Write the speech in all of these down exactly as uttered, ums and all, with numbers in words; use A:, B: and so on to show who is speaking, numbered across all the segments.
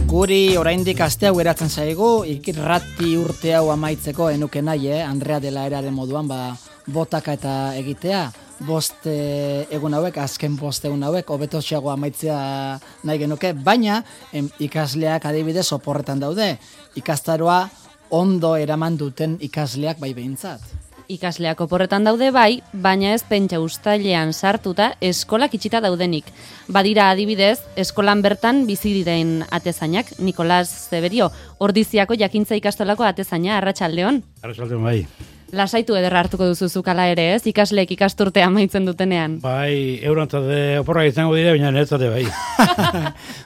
A: Guri oraindik aste hau geratzen zaigu, irrati urte hau amaitzeko enuke nahi, eh? Andrea dela eraren moduan, ba, botaka eta egitea, bost e, egun hauek, azken bost egun hauek, hobetotxeago amaitzea nahi genuke, baina em, ikasleak adibidez oporretan daude, ikastaroa ondo eraman duten ikasleak bai behintzat.
B: Ikasleak oporretan daude bai, baina ez pentsa uztailean sartuta eskolak itxita daudenik. Badira adibidez, eskolan bertan bizi diren atezainak, Nikolas Zeberio, Ordiziako jakintza ikastolako atezaina, arratsaldeon.
C: Arratsaldeon bai.
B: Lasaitu ederra hartuko duzu zukala ere, ez? Ikasleek ikasturtea amaitzen dutenean.
C: Bai, eurantzade oporrak izango dire, baina netzate bai.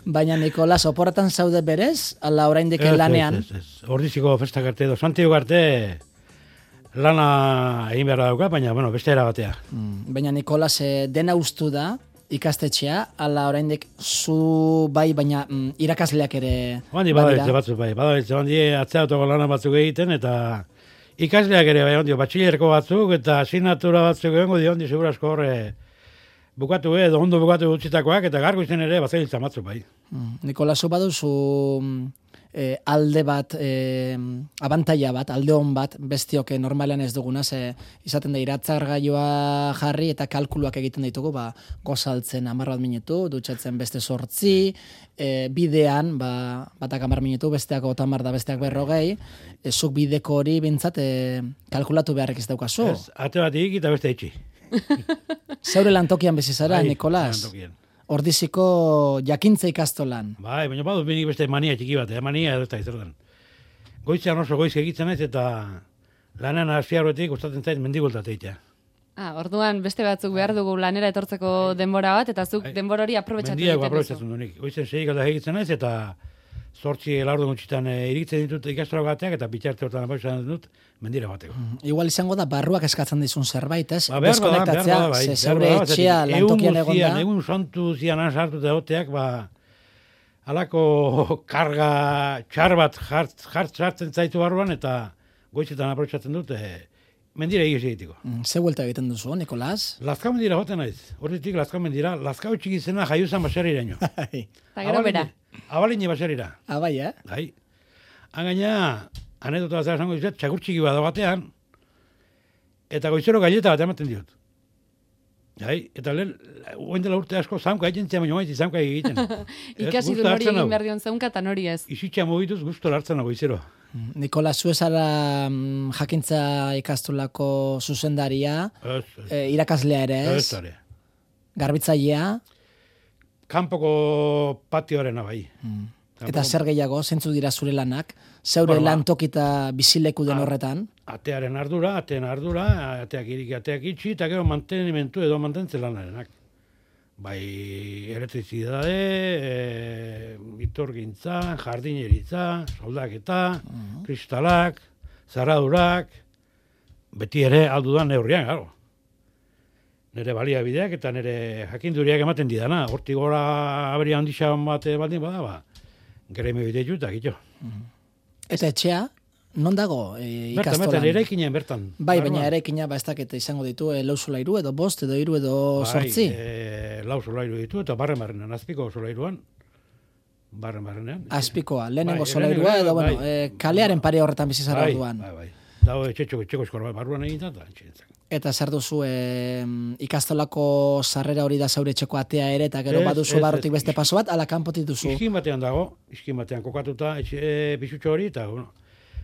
A: Baina Nikolas, oporretan zaude berez, ala oraindik lanean?
C: Ez, ez, ez. Ordiziko festak arte edo, Santiago arte lana egin behar dauka, baina, bueno, beste era batea.
A: Mm, baina Nikolas, eh, dena ustu da, ikastetxea, ala oraindik zu bai, baina mm, irakasleak ere
C: Bandi badabiltze batzuk bai, badabiltze bandi atzeatoko lana batzuk egiten, eta ikasleak ere bai, ondio, batxilerko batzuk, eta asignatura batzuk egongo dio, ondi, segurazko horre bukatu edo, ondo bukatu utzitakoak, eta gargo izen ere bazailtza batzuk bai.
A: Mm, Nikolasu baduzu E, alde bat, e, abantaila bat, alde hon bat, bestioke normalean ez duguna, ze izaten da iratzargailua jarri eta kalkuluak egiten ditugu, ba, gozaltzen hamar bat minutu, dutxatzen beste sortzi, e, bidean, ba, batak hamar minutu, besteak otamar da besteak berrogei, e, zuk bideko hori bintzat e, kalkulatu beharrek ez daukazu.
C: Ez, ate bat ikik eta beste itxi.
A: Zeure lantokian bezizara,
C: Bai,
A: Nikolas?
C: lantokian.
A: Ordiziko jakintza ikastolan.
C: Bai, baina badu benik beste mania txiki bat, eh? Mania edo ez da izertan. Goitzean oso goiz egitzen naiz eta lanean hasi aurretik gustatzen zait mendigultat egitea.
B: Ah, orduan beste batzuk behar dugu lanera etortzeko denbora bat, eta zuk
C: Bai.
B: denbora hori aprobetxatu
C: Mendiak
B: egiten duzu.
C: aprobetxatzen du nik. Goizen seik alda egitzen naiz eta zortzi laurden gutxitan e, iritzen ditut ikastaro bateak eta bitxarte hortan aprobetxatzen dut mendira bateko.
A: Mm, igual izango da barruak eskatzen dizun zerbait, ez?
C: Ba, behar bada, behar bada, bai.
A: Ze zeure etxea lantokian egon da.
C: Egun santu zian sartu eta oteak, ba, alako karga txar bat jart, jart sartzen zaitu barruan eta goizetan aprobetxatzen dut e, mendira egiz egitiko.
A: Mm, ze vuelta egiten duzu, Nikolas?
C: Lazkau mendira joten naiz. Horretik Lazkau mendira, Lazkau txiki zena jaiuzan baseriraino.
A: Bai.
B: Eta gero bera.
C: Abalini baserira.
A: Ah, bai, eh?
C: Bai. Han gaina, anedota bat esango dizuet, txakur txiki bat batean, eta goizero galleta bat ematen diot. Bai, eta lehen, oen dela urte asko, zaunka egiten zian, baina maiti zaunka egiten.
B: Ikasi du hori egin behar dion zaunka eta nori ez.
C: Izitxea mogituz guztora hartzen nago goizero.
A: Nikolas, zu ezara mm, jakintza ikastolako zuzendaria,
C: Ez, ez.
A: e, irakaslea ere ez,
C: Ez, ere.
A: garbitzailea,
C: Kanpoko patioarena bai.
A: mm.
C: Kanpoko-
A: eta zer gehiago, zentzu dira zure lanak, zeure
C: Bueno, ba.
A: lantokita bizileku den
C: Ah.
A: horretan.
C: Atearen ardura, atean ardura, ateak iriki, ateak itxi, eta gero mantenimentu edo mantentzen lanarenak. Bai, elektrizidade, e, iturgintza, jardineritza, soldaketa, kristalak, zaradurak, beti ere aldudan neurrian, garo. Nere baliabideak eta nere jakinduriak ematen didana. Hortik gora aberia handixan bate baldin bada, ba, gremio bideitu eta gito.
A: Eta etxea, non dago e,
C: Bertan,
A: ikastolan?
C: bertan, eraikinen bertan.
A: Bai, baina
C: Barruan.
A: eraikina ba ez dakit izango ditu e, lau solairu edo bost edo hiru edo sortzi.
C: Bai, e, lau solairu ditu eta barren barrenean, azpiko solairuan, barren barrenean.
A: Azpikoa, lehenengo
C: Bai,
A: solairua
C: lehenengo,
A: edo, bueno,
C: bai.
A: e, kalearen pare horretan bizi zara
C: Bai,
A: orduan.
C: bai, bai. Dago etxetxo, etxeko eskor barruan egin eta etxenetzak.
A: Eta zer duzu, e, ikastolako sarrera hori da zaure etxeko atea ere, eta gero
C: Ez,
A: baduzu
C: ez,
A: barrutik
C: ez.
A: beste paso bat, ala kanpotik duzu.
C: Iskin batean dago, iskin batean kokatuta etxe e, pisutxo hori, eta, bueno,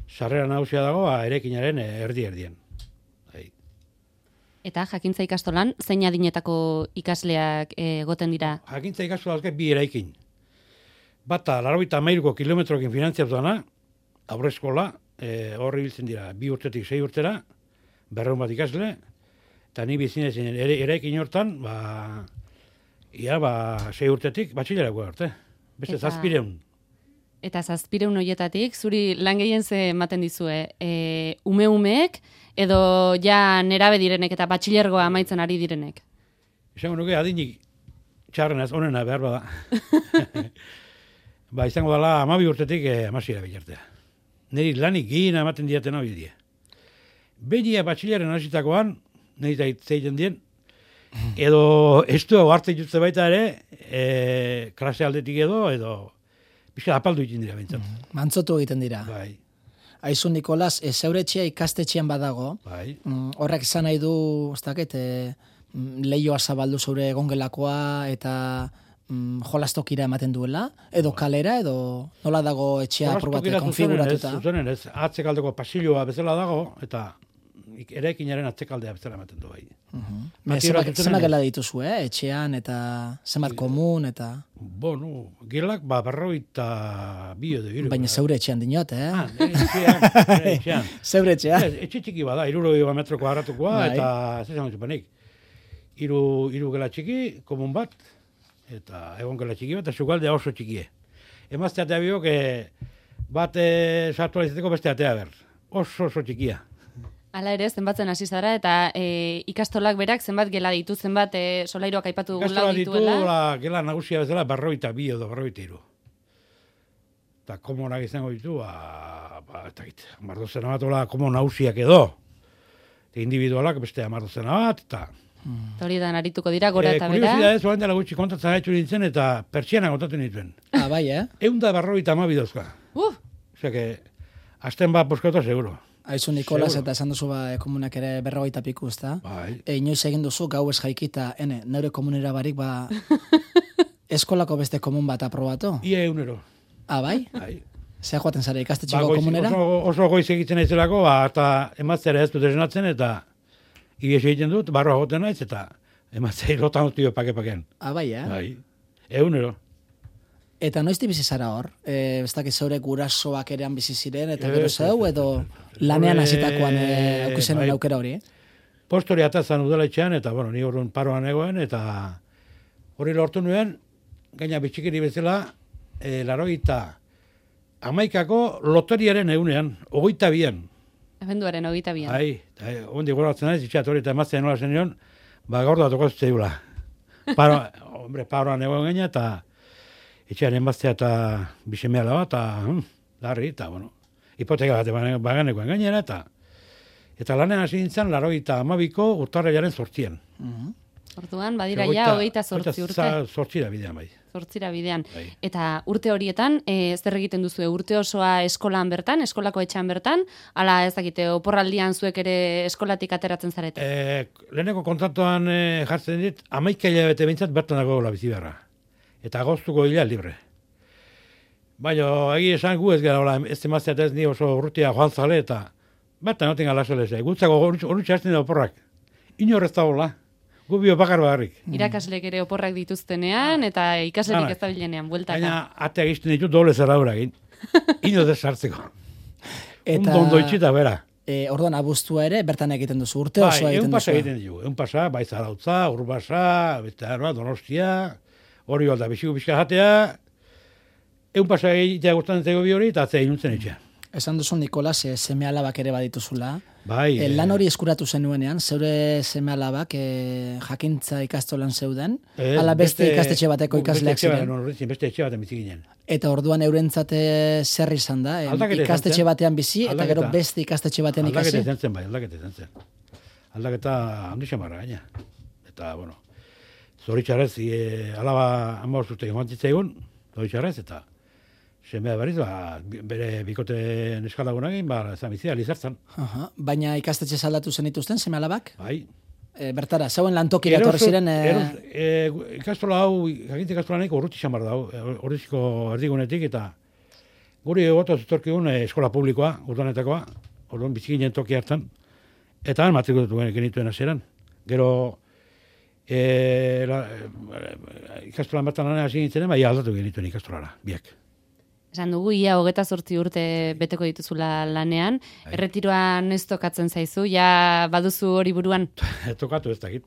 C: sarrera nagusia dago, ba, erekinaren erdi-erdien. Bai.
B: Eta jakintza ikastolan, zein adinetako ikasleak eh, egoten dira?
C: Jakintza ikastu dazke bi eraikin. Bata, larroita amairuko kilometrokin finantziatu dana, aurreskola, e, horri biltzen dira, bi urtetik sei urtera, berreun bat ikasle, eta ni bizinezin ere, eraikin hortan, ba, ia, ba, sei urtetik, batxilerako arte. Beste
B: Eta-
C: zazpireun.
B: Eta zazpireun hoietatik, zuri lan gehien ze ematen dizue, e, ume-umeek, edo ja nerabe direnek eta batxilergoa amaitzen ari direnek?
C: Izango nuke adinik txarrenaz, onena behar bada. Ba, izango dela amabi urtetik eh, amasiera bilartea. Neri lanik gehiena ematen diaten hau die. Benia batxilaren hasitakoan, niri da itzeiten dien, edo estu hau hartzen jutze baita ere, e, klase aldetik edo, edo Bizka apaldu egiten dira bintzat.
A: Mantzotu egiten dira.
C: Bai,
A: Aizu, Nikolas, e, zeure etxea ikastetxean badago,
C: bai.
A: mm, horrek izan nahi du, ez dakit, e, mm, lehioa zabaldu zeure egongelakoa eta mm, jolastokira ematen duela, edo kalera, edo nola dago etxea probate konfiguratuta.
C: Zuzenen ez, atzekaldeko pasilloa bezala dago, eta eraikinaren atzekaldea bezala ematen du bai.
A: Zenbat gela dituzu, eh? Etxean eta zenbat komun eta...
C: Bueno, gelak ba berrogeita bi edo hiru.
A: Baina zeure etxean dinot, eh?
C: Ah, etxean, etxean.
A: Zeure etxean.
C: Etxe txiki bada, hirurogei metro kuadratukoa, eta ez esan zupenik. Hiru hiru gela txiki, komun bat, eta egon gela txiki bat, eta sugaldea oso txikie. Emazte atea biok, bat sartu alizeteko beste atea ber. Oso oso txikia.
B: Hala ere, zenbatzen hasi zara, eta e, ikastolak berak zenbat gela ditu, zenbat e, solairoak aipatu dugula dituela.
C: Ikastolak ditu, la, gela nagusia bezala, berroita bi edo berroita iru. Eta komonak izango ditu, ba, ba eta git, amardozena bat, ola, komo nagusiak edo. Eta individualak beste amardozena bat, eta...
B: Hmm. Hori da, narituko dira, gora
C: e,
B: eta bera.
C: Kuriosidadez, oan dela gutxi kontatzen haitxu nintzen, eta pertsiana kontatu nituen.
A: Ah, bai, eh?
C: Eunda berroita amabi dauzka.
B: Uh!
C: Osea que, azten bat poskauta seguro.
A: Aizu, Nikolas, eta esan duzu ba, komunak ere berrogeita piku, ezta?
C: Bai.
A: E, inoiz egin duzu, gau ez jaikita, ene, neure komunera barik, ba, eskolako beste komun bat aprobatu?
C: Ia eunero.
A: Ah, bai?
C: Bai.
A: Zea joaten zara ikastetxeko
C: Ba, goiz,
A: komunera?
C: oso, oso goiz egiten naizelako, ba, eta ematzera ez dut esnatzen, eta ies egiten dut, barroa goten naiz, eta ematzei lotan dut dio pake-paken.
A: Ah, bai, eh?
C: Bai. Eunero.
A: Eta noizti bizi zara hor? E, ez dakit zeure gurasoak erean bizi ziren, eta
C: Ez,
A: gero
C: ez,
A: zeu,
C: ez,
A: edo
C: ez, ez, ez.
A: lanean
C: Hore,
A: hasitakoan e, aukizen
C: bai.
A: aukera hori, eh?
C: Postori atazan udaletxean, eta, bueno, ni horren paroan egoen, eta hori lortu nuen, gaina bitxikiri bezala, e, laroita amaikako loteriaren eunean, ogoita bian.
B: Abenduaren hogeita bian.
C: Ai, eta ondi goratzen naiz, itxat hori eta emazten nola zenion, ba gaur da toko zeula. Paro, hombre, paroan egoen gaina, eta etxean emaztea eta bisemea laba, eta hm, larri, eta, bueno, hipoteka bat baganekoen gainera, eta eta lanean hasi nintzen, larogeita amabiko urtarrilaren zortzien.
A: Mhm.
B: Orduan, badira ja, hogeita zortzi urte.
C: Zortzira bidean, bai.
B: Zortzira bidean.
C: Bai.
B: Eta urte horietan, e, zer egiten duzu, urte osoa eskolan bertan, eskolako etxean bertan, ala ez dakite, oporraldian zuek ere eskolatik ateratzen zarete?
C: E, leheneko kontratuan e, jartzen dit, amaika hilabete behintzat bertan dago la bizi beharra. Eta agoztuko hilea libre. Baina, egi esan gu ez gara, ez emaztea eta ez ni oso urrutia joan zale, eta bertan noten gala solezea. Gutzako horretxe hasten da oporrak. Inorrez da hola. Gu bio bakar bagarrik.
B: Irakasleek ere oporrak dituztenean, eta ikaslerik ez da bilenean, bueltaka.
C: Baina, ateak izten ditu doble zerra egin. Ino desartzeko.
A: Eta,
C: Ondo ondo itxita, bera.
A: E, orduan, abuztua ere, bertan egiten duzu, urte
C: Bai,
A: osoa
C: egun
A: egiten
C: pasa
A: duzu.
C: egiten dugu. Egun pasa, bai Zarautza, Urbasa, beste arba, Donostia, hori balda, biziko bizka jatea, egun pasa egitea gustatzen zego bi hori, eta atzea inuntzen etxea.
A: Esan duzu, Nikolas, e, seme alabak ere badituzula.
C: Bai.
A: E, lan hori eskuratu zenuenean, zeure seme alabak e, jakintza ikastolan zeuden,
C: Ez,
A: ala beste,
C: beste-
A: ikastetxe bateko
C: beste
A: ikasleak
C: etxe bat-
A: ziren.
C: no, horretzen, beste etxe baten bizi ginen.
A: Eta orduan eurentzate zer izan da, em,
C: Aldaketa izan
A: ikastetxe
C: zen.
A: batean bizi, eta gero
C: Aldaketa.
A: beste ikastetxe batean
C: Aldaketa
A: ikasi.
C: izan zen, bai, aldaketa izan zen. Aldaketa handi xamarra gaina. Eta, bueno, zoritxarrez, e, alaba ama urte joan zitzaigun, zoritxarrez, eta semea berriz, ba, bi- bere bikote neskalagunagin, ba, ezan bizia, lizartzan.
A: Aha, baina ikastetxe saldatu zenituzten, seme alabak?
C: Bai.
A: E, bertara, zeuen lantokira etorri ziren... E,
C: eros- e, ikastola hau, jakintza ikastola nahiko urruti xamar da, horrezko erdigunetik, eta guri egotu zutorkigun e, eskola publikoa, urdanetakoa, orduan bizikinen toki hartan, eta han matrikulatu genituen hasieran. Gero, e, la, e, ikastolan bertan lanean hasi nintzen, bai aldatu genituen ikastolara, biak.
B: Esan dugu, ia hogeta zortzi urte beteko dituzula lanean,
C: Bai.
B: erretiroan ez tokatzen zaizu, ja baduzu hori buruan.
C: Tokatu ez dakit.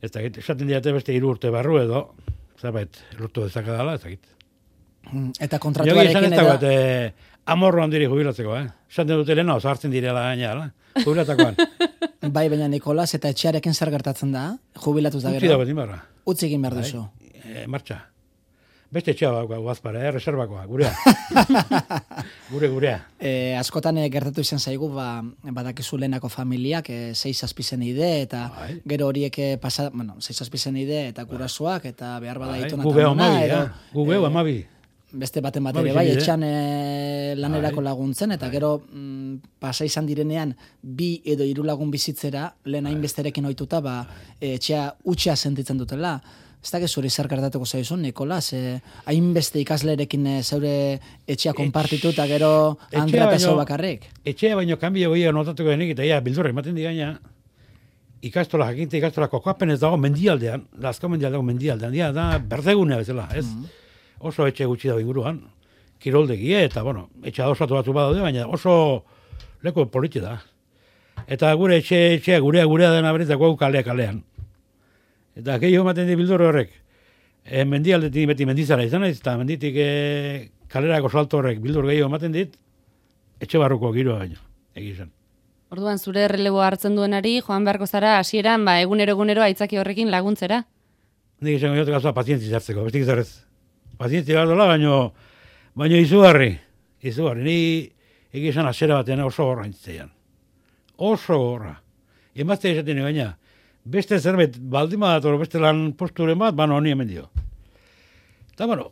C: Ez dakit, esaten diate beste hiru urte barru edo, zerbait, lortu dezakadala, ez dakit.
A: eta
C: Jogi esan ez
A: kontratuarekin
C: dagoet,
A: edo...
C: eh, amorro handiri jubilatzeko, eh? Esan dut lehena, oso hartzen direla gaina, ala? Jubilatakoan.
A: Bai, baina Nikolas, eta etxearekin zer gertatzen da? Jubilatuz da
C: Utzi
A: gero?
C: dago dinbarra.
A: Utzi egin behar
C: Bai.
A: duzu.
C: E, martxa. Beste etxea bako, guazpara, eh? Reservakoa, gurea. Gure, gurea.
A: E, askotan e, gertatu izan zaigu, ba, badakizu lehenako familiak, e, sei zazpizen ide, eta
C: Bai.
A: gero horiek e, pasa, bueno, sei zazpizen ide, eta gurasoak, eta behar bada
C: Bai,
A: itona
C: gu behu amabi, eh? Gu behu amabi.
A: beste baten bat
C: Ba,
A: ere, bai,
C: bizibide.
A: etxan e, lanerako
C: Bai.
A: laguntzen, eta gero mm, pasa izan direnean bi edo hiru lagun bizitzera, lehen hainbesterekin ohituta, ba, e, etxea utxea sentitzen dutela. Ez da zuri zer gertatuko zaizun, Nikolas, e, hainbeste ikaslerekin e, zeure etxea konpartitu eta gero
C: etxea
A: Andrea eta
C: baino-
A: zeu bakarrik.
C: Etxea baino kanbio goia notatuko denik, eta ja, bildurra ematen di gaina, ikastola, jakinte ikastola kokapen ez dago mendialdean, lazko mendialdean, mendialdean, dia, da berdegunea bezala, ez? Oso etxe gutxi dago inguruan, kiroldegie, eta, bueno, etxe adosatu batzu badaude, baina oso leku politxe da. Eta gure etxe, etxea, gurea, gurea dena beretzako kalea kalean. Eta gehiago ematen di bildur horrek, e, mendialdetik beti mendizara izan naiz, eta menditik e, kalerako salto horrek bildur gehiago ematen dit, etxe barruko giroa baino, egizan.
B: Orduan, zure erreleboa hartzen duenari, joan beharko zara, hasieran ba, egunero egunero aitzaki horrekin laguntzera.
C: Nik izango jote gazua pazientzi zartzeko, bestik zarez. Pazientzi behar dola, baino, baino izugarri, izugarri. Ni egizan asera batean oso gorra intzitzean. Oso gorra. Emazte esaten baina, beste zerbait baldima dator, beste lan posturen bat, bano honi hemen dio. Eta, bueno,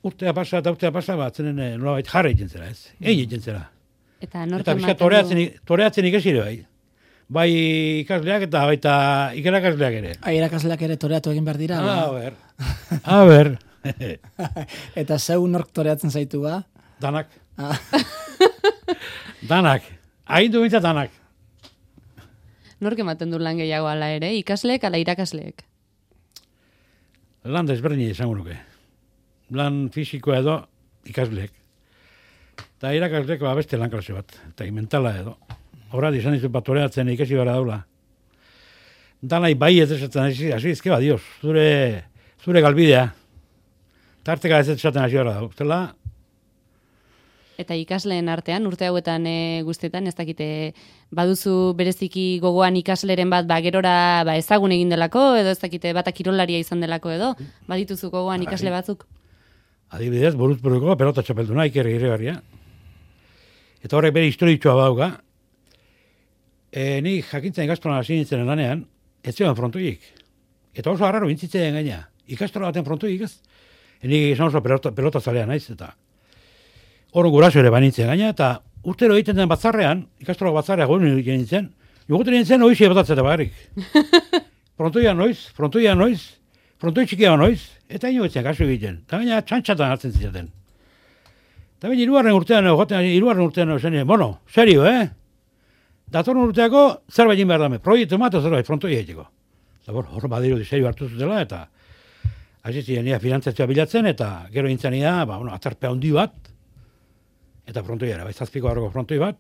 C: urtea pasa eta urtea pasa, bat zenen eh, nolabait jarra egiten zera, ez? Egin egiten zera.
B: Eta nork
C: Eta bizka
B: ematen
C: toreatzen,
B: du-
C: toreatzen ikasire bai. Bai ikasleak eta baita ikerakasleak ere.
A: Ai, irakasleak ere toreatu egin behar dira.
C: A
A: ba.
C: ber, a ber,
A: Eta zeu nork toreatzen zaitu ba.
C: danak,
A: Ah,
C: danak, agindu bintzat danak.
B: Nork ematen du lan gehiago ala ere, ikasleek ala irakasleek.
C: Lan desberdin izango nuke. Lan fisikoa edo ikasleek. Eta irakasleek ba beste lan klase bat, eta mentala edo. Horra, izan dizu bat toreatzen ikasi bara daula. Danai bai ez esaten hasi, hasi izke ba, dios, zure, zure galbidea. Tarteka ez esaten hasi bara dago. Zela,
B: Eta ikasleen artean, urte hauetan e, guztietan, ez dakite, baduzu bereziki gogoan ikasleren bat, ba, gerora ba, ezagun egin delako, edo ez dakite, bata kirolaria izan delako edo, badituzu gogoan ikasle batzuk.
C: adibidez, buruz buruko pelota txapelduna, ikerri irregarria. Eta horrek bere historitxoa badauka. E, ni jakintzen ikastolan hasi nintzen lanean, ez zioen frontoiek. Eta oso harraro bintzitzen gaina. Ikastola baten frontoiek ez. E, ni izan oso pelota, pelota zalea naiz, eta hor guraso ere banintzen gaina, eta urtero egiten den batzarrean, ikastola batzarrean gure egiten nintzen, joguten nintzen oixe botatzeta bagarrik. Frontoia noiz, frontoia noiz, frontoi txikia noiz, eta ino etzen kasu egiten. Eta gaina txantxatan hartzen zizaten. Eta baina hirugarren urtean, joten, hirugarren urtean, zen, bueno, serio, eh? Datorren urteako zerbait egin behar dame, proiektu emato zerbait frontoi egiteko. Eta bueno, hor badiru serio hartu zutela, eta hasi ziren ia finantzazioa bilatzen, eta gero intzen ia, ba, bueno, atzarpe handi bat, eta frontoiara, bai, zazpiko harroko frontoi bat.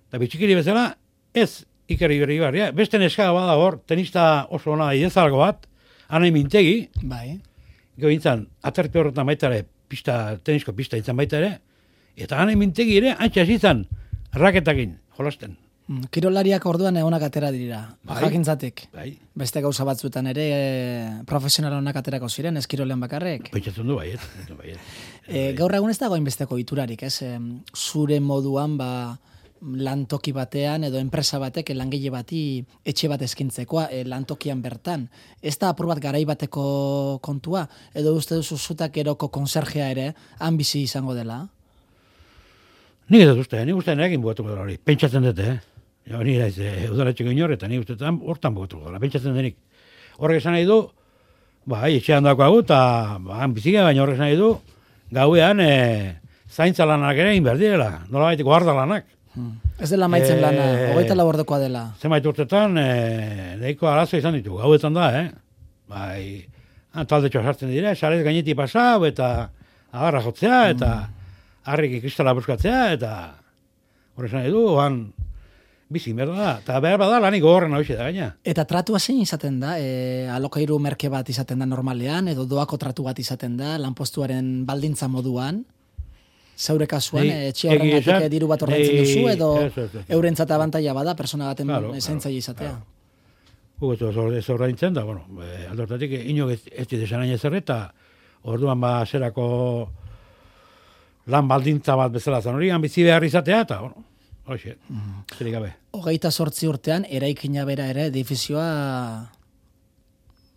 C: Eta bitxikiri bezala, ez ikerri berri barria, beste neska bada hor, tenista oso ona idezalgo bat, anai mintegi,
A: bai.
C: gero intzan, atzarpe horretan baita ere, pista, tenisko pista intzan baita ere, eta anai mintegi ere, antxe hasi izan, raketakin, jolasten.
A: Mm, Kirolariak orduan egonak atera dira,
C: Bai.
A: jakintzatik.
C: Bai,
A: Beste gauza batzuetan ere e, profesional honak aterako ziren, ez kirolean bakarrek.
C: pentsatzen du baiet, pentsatzen du baiet.
A: E, gaur egun ez dago hainbesteko iturarik, ez? Em, zure moduan, ba, lantoki batean edo enpresa batek langile bati etxe bat eskintzeko e, lantokian bertan. Ez da apur bat garai bateko kontua, edo uste duzu zutak eroko konserjea ere, han bizi izango dela?
C: Nik ez dut uste, nik uste nekin bugatuko dela hori, pentsatzen dute, eh? Ja, ni naiz, eh, udaletxeko inor, eta nik uste hortan bugatuko dela, pentsatzen denik. Horrek esan nahi du, ba, etxean dakoagu, eta ba, bizika, baina horrek esan nahi du, gauean e, zaintza lanak ere egin behar direla, nola baiteko harda lanak.
A: Hmm. Ez dela maitzen
C: Eh,
A: lana, hogeita lau ordukoa dela.
C: Zenbait urtetan, e, nahiko arazo izan ditu, gauetan da, eh? Bai, ah, taldetxoa sartzen dira, sarez gainetik pasau, eta agarra jotzea, eta harrik kristala buskatzea, eta horre esan nahi du, oan bizi behar da, eta behar bada lanik gogorren hau da gaina.
A: Eta tratua zein izaten da? E, alokairu merke bat izaten da normalean, edo doako tratu bat izaten da, lanpostuaren baldintza moduan? Zeure kasuan,
C: Nei,
A: e, etxe
C: egia
A: horrengatik
C: esan,
A: e, diru bat ordaintzen
C: nei,
A: duzu, edo
C: ez, ez, ez.
A: eurentzat abantaila bada, persona baten
C: Claro,
A: zaintzaile
C: claro,
A: izatea.
C: claro. Gu ez ez ordaintzen da, bueno, e, aldortatik inok ez, ez desan hain ezerre, eta orduan ba zerako lan baldintza bat bezala zan hori, bizi behar izatea, eta, bueno, hoxe, zerik gabe.
A: Hogeita sortzi urtean, eraikina bera ere, edifizioa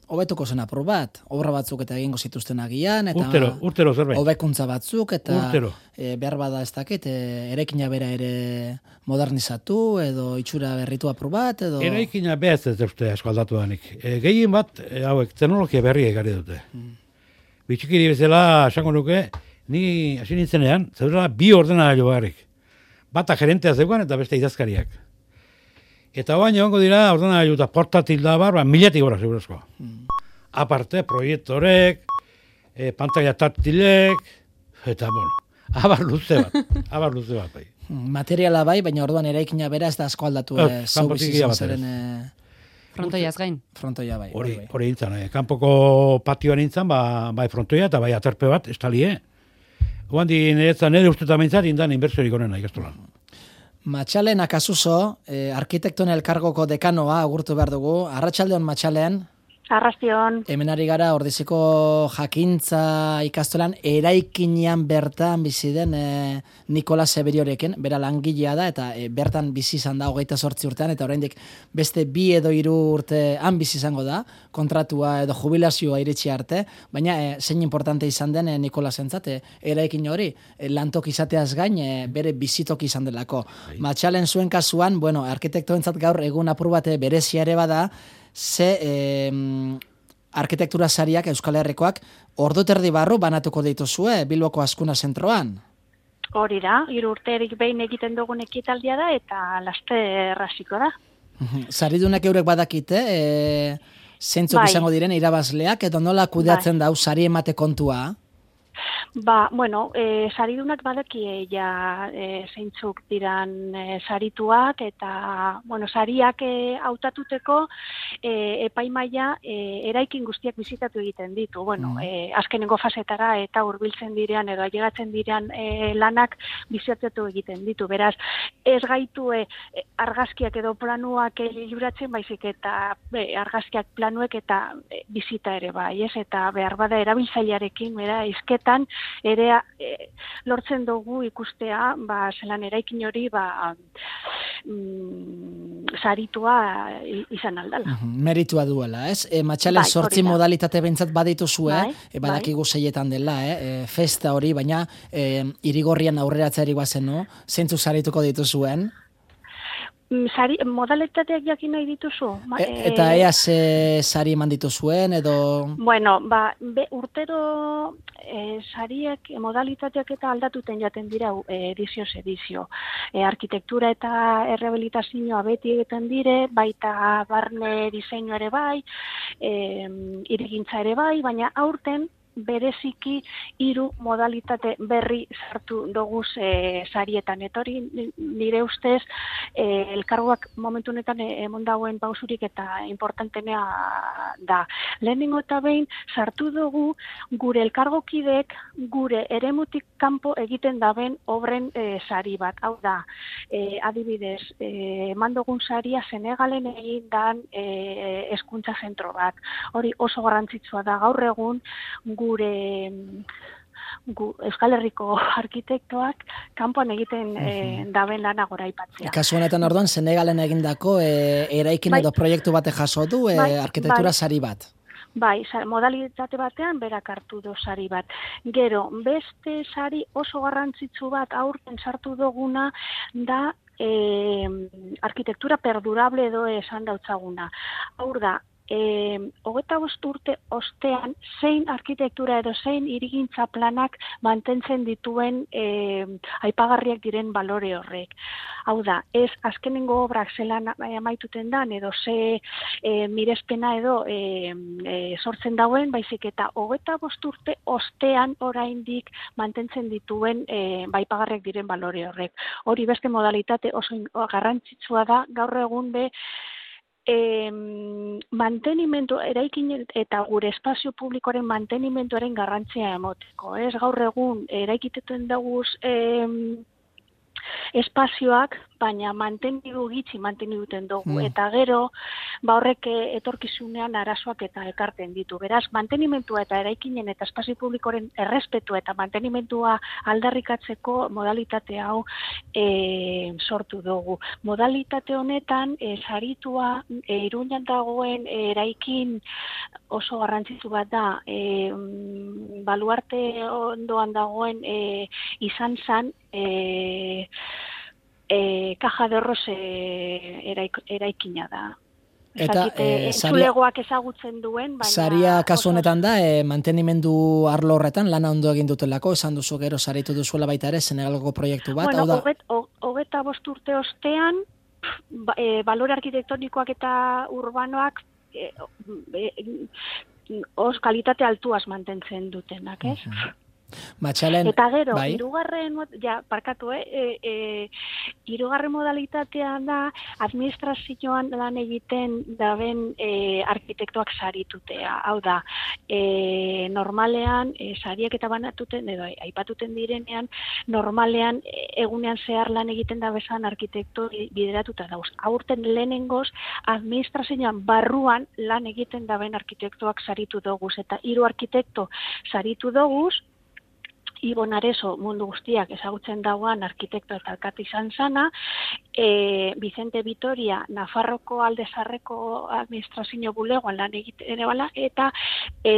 A: hobetuko zen apur bat, obra batzuk eta egingo zituzten agian, eta
C: urtero, urtero zerbait.
A: hobekuntza batzuk, eta
C: Urtero.
A: e, behar bada ez dakit, e, eraikina bera ere modernizatu, edo itxura berritu apur bat, edo...
C: Eraikina behaz ez dute asko aldatu danik. E, gehien bat, e, hauek, teknologia berri egarri dute. Mm. Bitxikiri bezala, esango nuke, ni hasi nintzenean, zeudela bi ordenagailu bakarrik. Bata gerentea zeukan eta beste idazkariak. Eta baina egongo dira, ordenagailu eta portatil da bar, ba, miletik gora segurazkoa. Mm. Aparte, proiektorek, e, pantalla taktilek, eta bueno, abar luze bat, abar luze bat bai.
A: Materiala bai, baina orduan eraikina bera ez da asko aldatu
C: Ez,
A: eh, zeu
C: kanpotik
A: bizi
C: ia
A: zeren
C: batez.
B: Eh, Frontoiaz gain.
A: frontoia bai.
C: Hori,
A: bai, bai.
C: hori nintzen, eh? Kanpoko patioan nintzen, ba, bai frontoia eta bai aterpe bat, estalie. Oan di niretzan nire ustetan bintzat, indan inbertsiorik onena ikastolan.
A: Matxalen akasuso, eh, arkitektoen elkargoko dekanoa agurtu behar dugu. Arratsaldeon Matxalen.
D: Arrastion.
A: Hemen ari gara ordiziko jakintza ikastolan eraikinean bertan bizi den e, Nikola Seberiorekin, bera langilea da eta e, bertan bizi izan da hogeita zortzi urtean eta oraindik beste bi edo hiru urte han bizi izango da, kontratua edo jubilazioa iritsi arte, baina e, zein importante izan den e, Nikola zentzat, e, eraikin hori e, lantok izateaz gain e, bere bizitok izan delako. Matxalen zuen kasuan, bueno, arkitektoentzat gaur egun apur bat berezia ere bada, ze eh, arkitektura sariak Euskal Herrikoak ordu terdi barru banatuko dituzue Bilboko Azkuna zentroan.
D: Hori da, hiru urterik behin egiten dugun ekitaldia da eta laster hasiko da.
A: Saridunak eurek badakite, e, zeintzuk
D: Bai.
A: izango diren irabazleak, edo nola kudeatzen dau sari emate kontua?
D: Ba, bueno, e, saridunak badakie ja e, zeintzuk diran e, sarituak eta, bueno, sariak e, hautatuteko e, epaimaia e, eraikin guztiak bizitatu egiten ditu. Bueno,
A: Mm.
D: e, azkenengo fasetara eta hurbiltzen direan edo ailegatzen direan e, lanak bizitatu egiten ditu. Beraz, ez gaitu e, e, argazkiak edo planuak e, libratzen baizik eta e, argazkiak planuek eta e, bizita ere bai, ez? Eta behar bada erabiltzailearekin, bera, izketan ere e, lortzen dugu ikustea, ba, zelan eraikin hori, ba, mm, saritua i- izan aldala.
A: Meritua duela, ez? E, Matxalen
D: Bai,
A: sortzi
D: hori da.
A: modalitate bentsat badituzue,
D: Bai,
A: e, badakigu zeietan dela, eh? E, festa hori, baina e, irigorrian aurreratzeari bazenu, zeintzu sarituko dituzuen?
D: Mm, Sari, modalitateak jakin nahi dituzu? Ma-
A: E, eta ea ze sari eman dituzuen, edo...
D: Bueno, ba, be, urtero e, sariek, e, modalitateak eta aldatuten jaten dira e, edizioz edizio. E, arkitektura eta errehabilitazioa beti egiten dire, baita barne diseinua ere bai, e, irigintza ere bai, baina aurten bereziki hiru modalitate berri sartu doguz e, sarietan. Eta hori nire ustez e, elkargoak momentu honetan emon dauen pausurik eta importantenea da. Lehenengo eta behin sartu dugu gure elkargokideek gure eremutik kanpo egiten daben obren e, sari bat. Hau da, e, adibidez, e, eman dugun saria Senegalen egin dan e, hezkuntza zentro bat. Hori oso garrantzitsua da gaur egun gure gu, Euskal Herriko arkitektoak kanpoan egiten e, daben lana goraipatzea.
A: Kasu honetan orduan, Senegalen egindako e, eraikin
D: Bai.
A: edo proiektu bate jaso du e,
D: Bai,
A: arkitektura
D: bai.
A: sari bat.
D: Bai, sa- modalitate batean berak hartu do sari bat. Gero, beste sari oso garrantzitsu bat aurten sartu duguna da e, arkitektura perdurable edo esan dautzaguna. Hau da, E, hogeta bost urte ostean zein arkitektura edo zein hirigintza planak mantentzen dituen e, aipagarriak diren balore horrek. Hau da, ez azkenengo obrak zelan amaituten dan edo ze e, mirespena edo e, e, sortzen dauen, baizik eta hogeta bost urte ostean oraindik mantentzen dituen e, aipagarriak diren balore horrek. Hori beste modalitate oso garrantzitsua da gaur egun be E, mantenimendu, eraikin eta gure espazio publikoaren mantenimenduaren garrantzia emoteko. Ez gaur egun eraikiteten daguz e, espazioak baina mantenidu gitxi mantenidu dugu,
A: Mm.
D: eta gero, ba horrek eh, etorkizunean arazoak eta ekarten ditu. Beraz, mantenimentua eta eraikinen eta espazio publikoren errespetua eta mantenimendua aldarrikatzeko modalitate hau e, sortu dugu. Modalitate honetan, e, saritua e, Iruñan dagoen e, eraikin oso garrantzitsu bat da, e, mm, baluarte ondoan dagoen e, izan zan, e, e, Caja de Horros e, eraik, eraikina da.
A: Eta,
D: Ezakite,
A: eh,
D: entzulegoak ezagutzen duen, baina...
A: Saria kasu
D: oso-
A: honetan da, e, mantenimendu arlo horretan lana ondo egin dutelako, esan duzu gero saritu duzuela baita ere Senegalgo proiektu bat,
D: Bueno,
A: hau da,
D: hoget, ho- hogeta bost urte ostean, ba, e, balore arkitektonikoak eta urbanoak e, e, os kalitate altuaz mantentzen dutenak, ez?
A: Matxalen,
D: Eta gero,
A: bai?
D: hirugarren, mod- ja, parkatu, eh, e, e, hirugarren modalitatea da administrazioan lan egiten daben e, arkitektoak saritutea. Hau da, e, normalean, e, sariak eta banatuten, edo aipatuten direnean, normalean e, egunean zehar lan egiten da bezan arkitekto bideratuta dauz. Aurten lehenengoz, administrazioan barruan lan egiten daben arkitektoak saritu doguz, eta hiru arkitekto saritu doguz, Ibon Areso mundu guztiak ezagutzen dauan arkitekto eta alkate izan zana, e, Vicente Vitoria Nafarroko aldezarreko administrazio bulegoan lan egiten ere bala, eta e,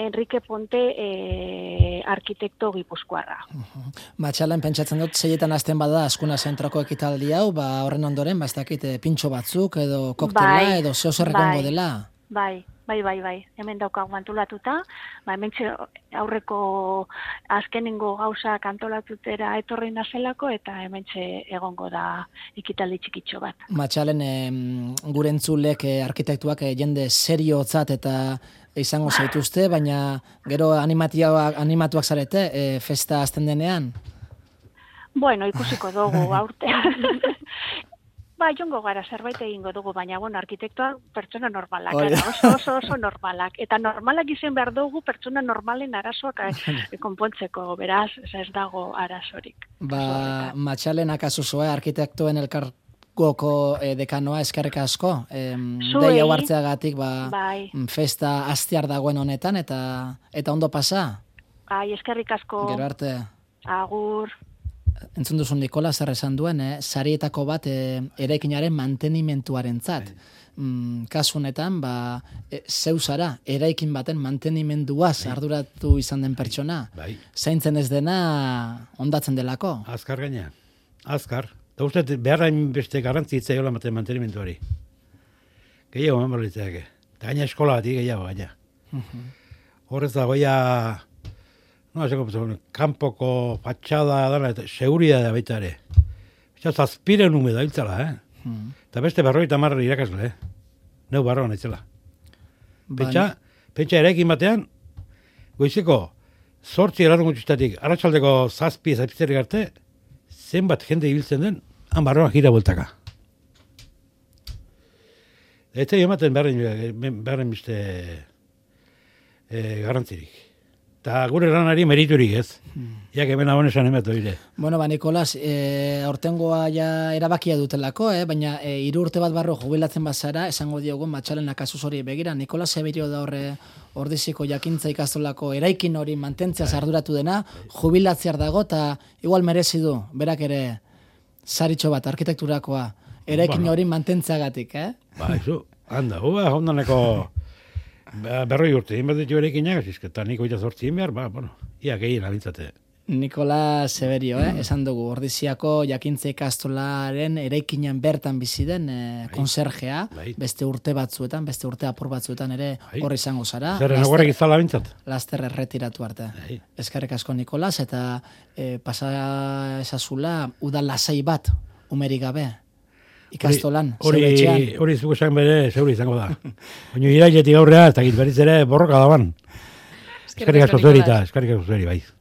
D: Enrique Ponte e, arkitekto gipuzkoarra.
A: Matxalen pentsatzen dut zeietan hasten bada Askuna zentroko ekitaldi hau, ba horren ondoren, ba ez dakit eh, pintxo batzuk edo koktela
D: Bai,
A: edo zeo zer egongo
D: bai.
A: dela.
D: Bai, bai, bai, bai. Hemen daukagu antolatuta, ba, hemen aurreko azkenengo gauzak antolatutera etorri nazelako, eta hemen egongo da ekitaldi txikitxo bat.
A: Matxalen em, gure entzulek eh, arkitektuak eh, jende seriotzat eta izango zaituzte, baina gero animatiak, animatuak zarete eh, festa azten denean.
D: Bueno, ikusiko dugu aurtean. Ba, jongo gara, zerbait egingo dugu, baina, bueno, arkitektoak pertsona normalak,
A: Hori.
D: ara, oso, oso, oso normalak. Eta normalak izen behar dugu pertsona normalen arazoak eh, konpontzeko, beraz, ez dago arazorik.
A: Ba, Matxalen akaso zoe arkitektoen elkargoko eh, dekanoa eskerrik asko. Em,
D: Zuei.
A: Dei hau hartzeagatik ba,
D: Bai,
A: festa hastiar dagoen honetan eta eta ondo pasa.
D: ai, eskerrik asko,
A: Gero arte.
D: agur.
A: Entzun duzu Nikola zer esan duen, eh? Sarietako bat eh, eraikinaren mantenimentuarentzat. Mm, kasu honetan, ba, e, zeu zara, eraikin baten mantenimenduaz arduratu izan den pertsona.
C: Bai,
A: Zaintzen ez dena ondatzen delako.
C: azkar gaina. Azkar. Eta uste, beharrain beste garrantzitza jola maten mantenimentuari. Gehiago eman berlitzak. Eta gaina eskola bat gehiago gaina. Horrez da, goia, no, eseko, kanpoko fatxada dana, eta seguridad da baita ere. Eta zazpiren ume da hiltzala, eh? Eta beste berroita marra irakasle, eh? Neu barroan aitzela. Pentsa, pentsa eraikin batean, goizeko, zortzi erarun gutxistatik, arratsaldeko zazpi zazpitzerik arte, zenbat jende ibiltzen den, han barroan gira bueltaka. Eta ematen beharren, beharren beste e, garrantzirik. Eta gure lanari meriturik ez. Jak hemen abon esan emeto ire.
A: Bueno, ba, Nikolas, e, aurtengoa ja erabakia dutelako, eh? Baina e, hiru urte bat barro jubilatzen bazara, esango diogu Matxalen akasuz hori begira. Nikolas Severio da horre ordiziko jakintza ikastolako eraikin hori mantentzeaz arduratu dena, jubilatzear dago, eta igual merezi du, berak ere saritxo bat, arkitekturakoa, eraikin
C: Bueno.
A: hori mantentzeagatik, eh?
C: Ba, izu, handa, hua, hondaneko berroi urte, egin bat ditu erekinak, eta niko eta zortzi egin behar, ba, bueno, ia gehien abintzate.
A: Nikolas Severio, eh? Esan dugu, ordiziako jakintza ikastolaren eraikinan bertan bizi den eh, konserjea,
C: Bai.
A: beste urte batzuetan, beste urte apur batzuetan ere
C: Bai.
A: hor izango zara.
C: Zer,
A: laster-
C: enagorrek izala abintzat?
A: Laster erretiratu arte.
C: Bai.
A: Eskerrik asko Nikolas, eta eh, pasa esazula udal lasai bat, umerik gabe, ikastolan,
C: Hori,
A: zeure etxean.
C: hori zuko esan bere, zeuri izango da. Baina irailetik aurrea, ez dakit berriz ere borroka daban. Eskerrik asko zueri eta, eskerrik asko zueri, bai.